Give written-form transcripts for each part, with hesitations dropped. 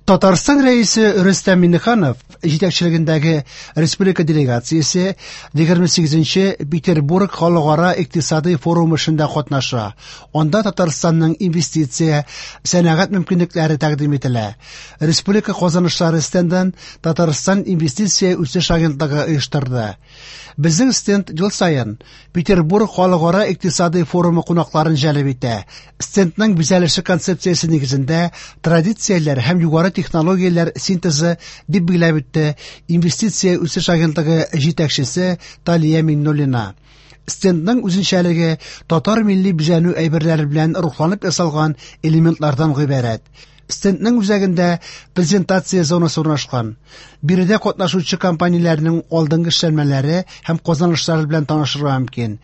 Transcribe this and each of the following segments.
Татарстан Рәисе Рөстәм Миңнеханов җитәкчелегендәге республика делегациясе 28 нче Петербург халыкара икътисадый форумы эшендә катнаша. Анда Татарстанның инвестиция, сәнәгать мөмкинлекләре тәкъдим ителә. Республика казанышлары стендын Татарстан инвестиция үсеш агентлыгы оештырды. Безнең стенд ел саен Петербург халыкара икътисадый форумы кунакларын җәлеп итә. Стендның бизәлеше концепциясе нигезендә традицияләр һәм югары технологияләр синтезы, дип билгеләп үтте Инвестиция үсеш агентлыгы җитәкчесе Талия Миңнуллина. Стендның үзенчәлеге татар милли бизәнү әйберләре белән рухланып ясалган элементлардан гыйбарәт. Стендның үзәгендә презентация зонасы урнашкан. Биредә катнашучы компанияләрнең алдынгы эшләнмәләре һәм казанышлары белән танышырга мөмкин.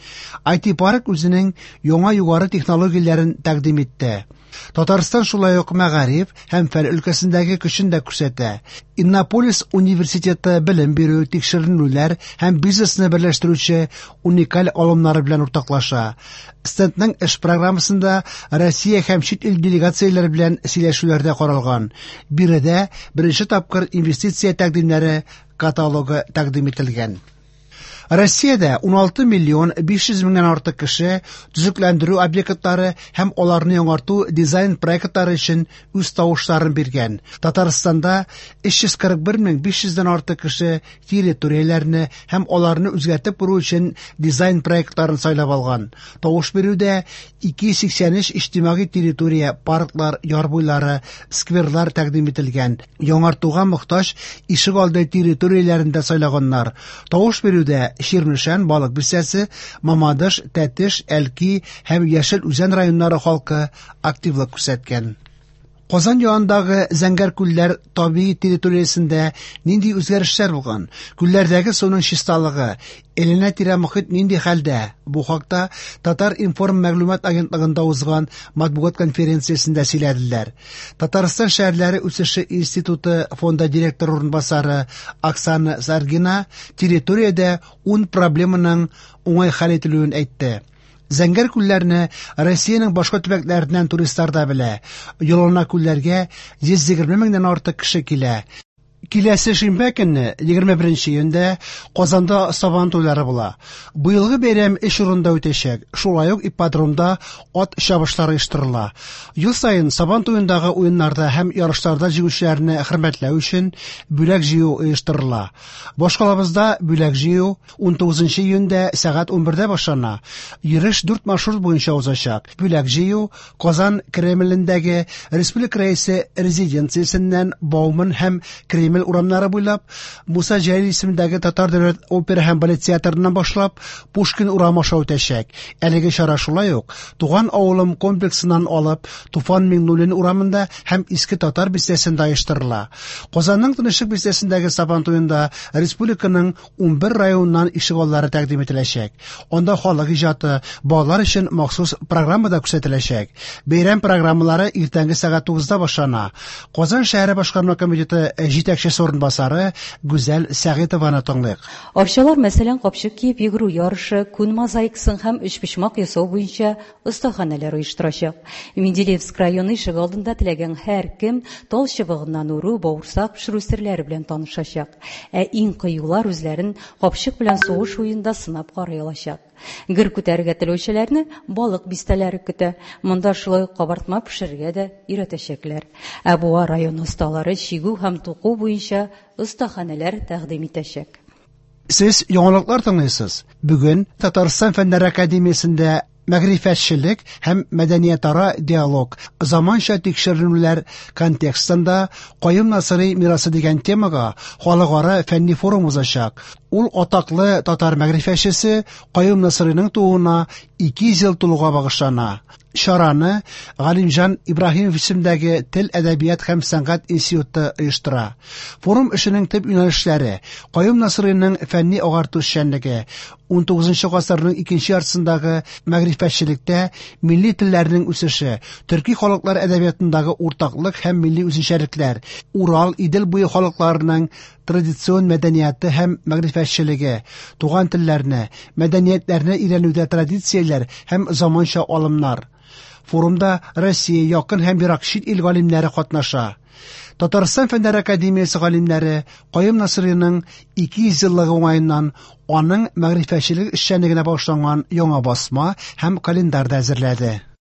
IT-парк үзенең яңа югары технологияләрен тәкъдим итте. Татарстан шулай ук мәгариф һәм фән өлкәсендәге көчен дә күрсәтә. Иннополис университеты белем бирү, тикшеренүләр һәм бизнесны берләштерүче уникаль алымнары белән уртаклаша. Стендның эш программасында Россия һәм чит ил делегацияләре белән сөйләшүләр дә каралган. Биредә беренче тапкыр инвестиция тәкъдимнәре каталогы тәкъдим ителгән. Россиядә 16 миллион 500 меңнән артык кеше төзекләндерү объектлары һәм аларны яңарту дизайн проектлары өчен үз тавышларын биргән. Татарстанда 341 мең 500 дән артык кеше территорияләрне һәм аларны үзгәртеп кору өчен дизайн проектларын сайлап алган. Тавыш бирүдә 283 иҗтимагый территория, парклар, яр буйлары, скверлар тәкъдим ителгән. Яңартуга мохтаҗ ишегалды территорияләрен дә сайлаганнар. Тавыш бирүдә Чирмешән, Балык Бистәсе, Мамадыш, Тәтеш, Әлки һәм Яшел Үзән районнары халкы активлык күрсәткән. Казан янындагы Зәңгәр күлләр табигый территориясендә нинди үзгәрешләр булган? Күлләрдәге суның чисталыгы, әйләнә-тирә мохит нинди хәлдә? Бу хакта Татар-информ мәгълүмат агентлыгында узган матбугат конференциясендә сөйләделәр. Татарстан шәһәрләре үсеше институты фонды директоры урынбасары Оксана Саргина территориядә ун проблеманың уңай хәл ителүен әйтте. Зәңгәр күлләрне Россиянең башка төбәкләреннән туристлар да белә. Елына күлләргә 120 меңнән артык кеше килә. Киләсе шимбә көнне, 21 июньдә, Казанда Сабан туйлары була. Быелгы бәйрәм өч урында үтәчәк. Шулай ук ипподромда ат чабышлары оештырыла. Ел саен Сабан туендагы уеннарда һәм ярышларда җиңүчеләрне хөрмәтләү өчен бүләк җыю оештырыла. Башкалабызда бүләк җыю 19 июньдә сәгать 11дә башлана. Йөреш дүрт маршрут буенча узачак. Бүләк җыю Казан Кремлендәге Республика Рәисе резиденциясеннән Бауман һәм Кремль урамнары буйлап, Муса Җәлил исемендәге Татар дәүләт опера һәм балет театрыннан башлап, Пушкин урамы аша үтәчәк. Әлеге чара шулай ук Туган авылым комплексыннан алып Туфан Миңнуллин урамында һәм Иске Татар бистәсендә оештырыла. Казанның Тынычлык бистәсендәге Сабан туенда республиканың 11 районыннан ишегаллары тәкъдим ителәчәк. Анда халык иҗаты, балалар өчен махсус программа да күрсәтеләчәк. Бәйрәм программалары иртәнге сәгать 9-да башлана. Казан шәһәре башкарма комитеты җитәкчесе урынбасары Гүзәл Сәгыйтованы тыңлыйк. Арчалар, мәсәлән, капчык киеп йөгерү ярышы, күн мозаикасын һәм өчпочмак ясау буенча остаханәләр оештырачак. Менделеевск районы ишегалдында теләгән һәркем тал чыбыгыннан үрү, бавырсак пешерү серләре белән танышачак. Ә иң кыюлар үзләрен капчык белән сугыш уенында сынап карый алачак. Гер күтәрергә теләүчеләрне балык бистәләре көтә. Монда шулай ук кабартма пешерергә дә өйрәтәчәкләр. Ә Буа районы осталары чигү һәм туку буенча остаханәләр тәкъдим итәчәк. Сез яңалыклар тыңлыйсыз. Бүген Татарстан Фәннәр академиясендә мәгърифәтчелек һәм мәдәниятара диалог, заманча тикшеренүләр контекстында Каюм Насыйри мирасы дигән темага халыкара фәнни форум узачак. Ул атаклы татар мәгърифәтчесе Каюм Насыйриның тууына 200 ел тулуга багышлана. Чараны Галимҗан Ибраһимов исемендәге Тел, әдәбият һәм сәнгать институты оештыра. Форум эшенең төп юнәлешләре Каюм Насыйриның фәнни агарту эшчәнлеге, 19 гасырның икенче яртысындагы мәгърифәтчелектә милли телләрнең үсеше, төрки халыклар әдәбиятындагы уртаклык һәм милли үзенчәлекләр, Урал, Идел буе халыкларының традицион мәдәнияты һәм мәгърифәтчелеге, туган телләрне, мәдәниятләрне өйрәнүдә традицияләр һәм заманча алымнар. Форумда Россия, якын һәм ерак чит ил галимнәре катнаша. Татарстан Фәннәр академиясе галимнәре Каюм Насыйриның 200 еллыгы уңаеннан аның мәгърифәтчелек эшчәнлегенә багышланган яңа басма һәм календарь да әзерләде.